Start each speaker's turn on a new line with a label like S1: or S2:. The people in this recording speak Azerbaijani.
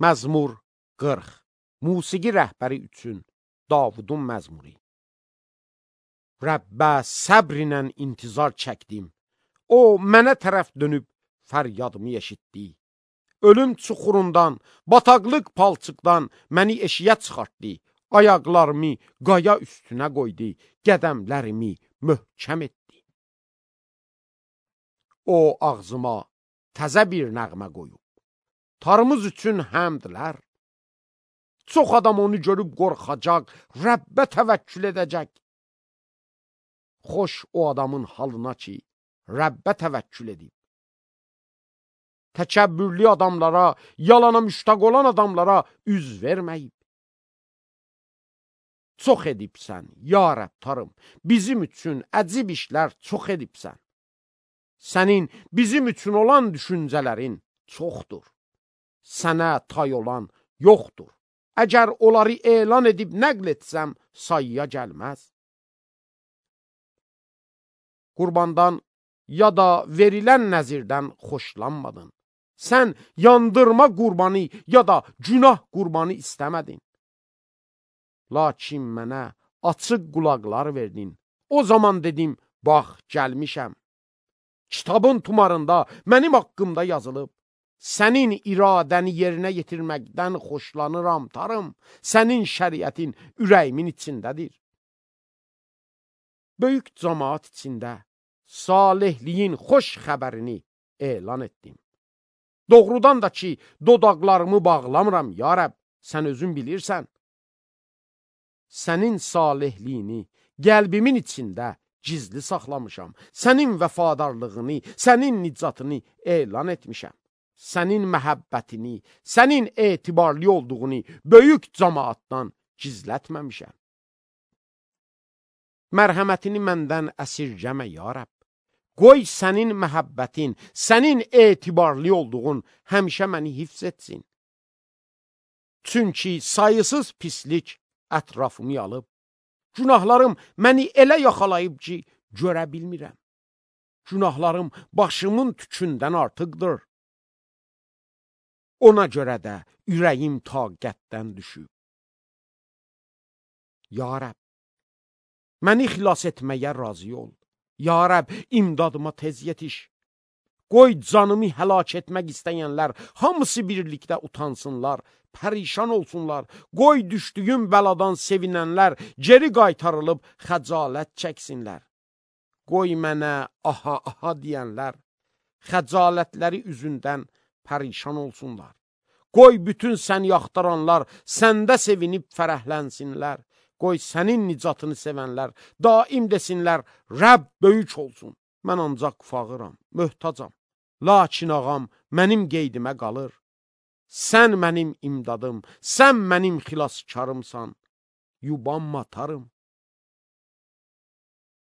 S1: Məzmur 40. Musiqi rəhbəri üçün Davudun məzmuri. Rəbbə səbrinlə intizar çəkdim. O, mənə tərəf dönüb fəryadımı eşitdi. Ölüm çuxurundan, bataqlıq palçıqdan məni eşiyə çıxartdı. Ayaqlarımı qaya üstünə qoydu, qədəmlərimi möhkəm etdi. O, ağzıma təzə bir nəğmə qoyub. Tarımız üçün həmdlər. Çox adam onu görüb qorxacaq, Rəbbə təvəkkül edəcək. Xoş o adamın halına ki, Rəbbə təvəkkül edib. Təkəbbürlü adamlara, yalana müştaq olan adamlara üz verməyib. Çox edibsən, ya Rəbb tarım, bizim üçün əcib işlər çox edibsən. Sənin bizim üçün olan düşüncələrin çoxdur. Sənə tay olan yoxdur. Əgər onları elan edib nəql etsəm, sayıya gəlməz. Qurbandan ya da verilən nəzirdən xoşlanmadın. Sən yandırma qurbanı ya da günah qurbanı istəmədin. Lakin mənə açıq qulaqlar verdin. O zaman dedim, bax, gəlmişəm. Kitabın tumarında mənim haqqımda yazılıb. Sənin iradəni yerinə yetirməkdən xoşlanıram tarım. Sənin şəriətin ürəyimin içindədir. Böyük cəmaat içində salihliyin xoş xəbərini elan etdim. Doğrudan da ki, dodaqlarımı bağlamıram, ya Rəbb, sən özün bilirsən. Sənin salihliyini qəlbimin içində gizli saxlamışam. Sənin vəfadarlığını, sənin nicatını elan etmişəm. Sənin məhəbbətini, sənin etibarlı olduğunu böyük cəmaatdan gizlətməmişəm. Mərhəmətini məndən əsirgəmə, ya Rəbb. Qoy sənin məhəbbətin, sənin etibarlı olduğun həmişə məni hifz etsin. Çünki sayısız pislik ətrafımı alıb. Günahlarım məni elə yaxalayıb ki, görə bilmirəm. Günahlarım başımın tükündən artıqdır. Ona görə də ürəyim taqətdən düşüb. Ya Rəbb, məni xilas etməyə razı ol. Ya Rəbb, imdadıma tez yetiş. Qoy canımı həlak etmək istəyənlər hamısı birlikdə utansınlar, pərişan olsunlar. Qoy düşdüyüm bəladan sevinənlər geri qaytarılıb xəcalət çəksinlər. Qoy mənə aha aha deyənlər xəcalətləri üzündən pərişan olsunlar. Qoy bütün səni axtaranlar səndə sevinib fərəhlənsinlər. Qoy sənin nicatını sevənlər daim desinlər, Rəbb böyük olsun. Mən ancaq fağıram, möhtacam. Lakin ağam mənim qeydimə qalır. Sən mənim imdadım, sən mənim xilaskarımsan. Yubanma tarım.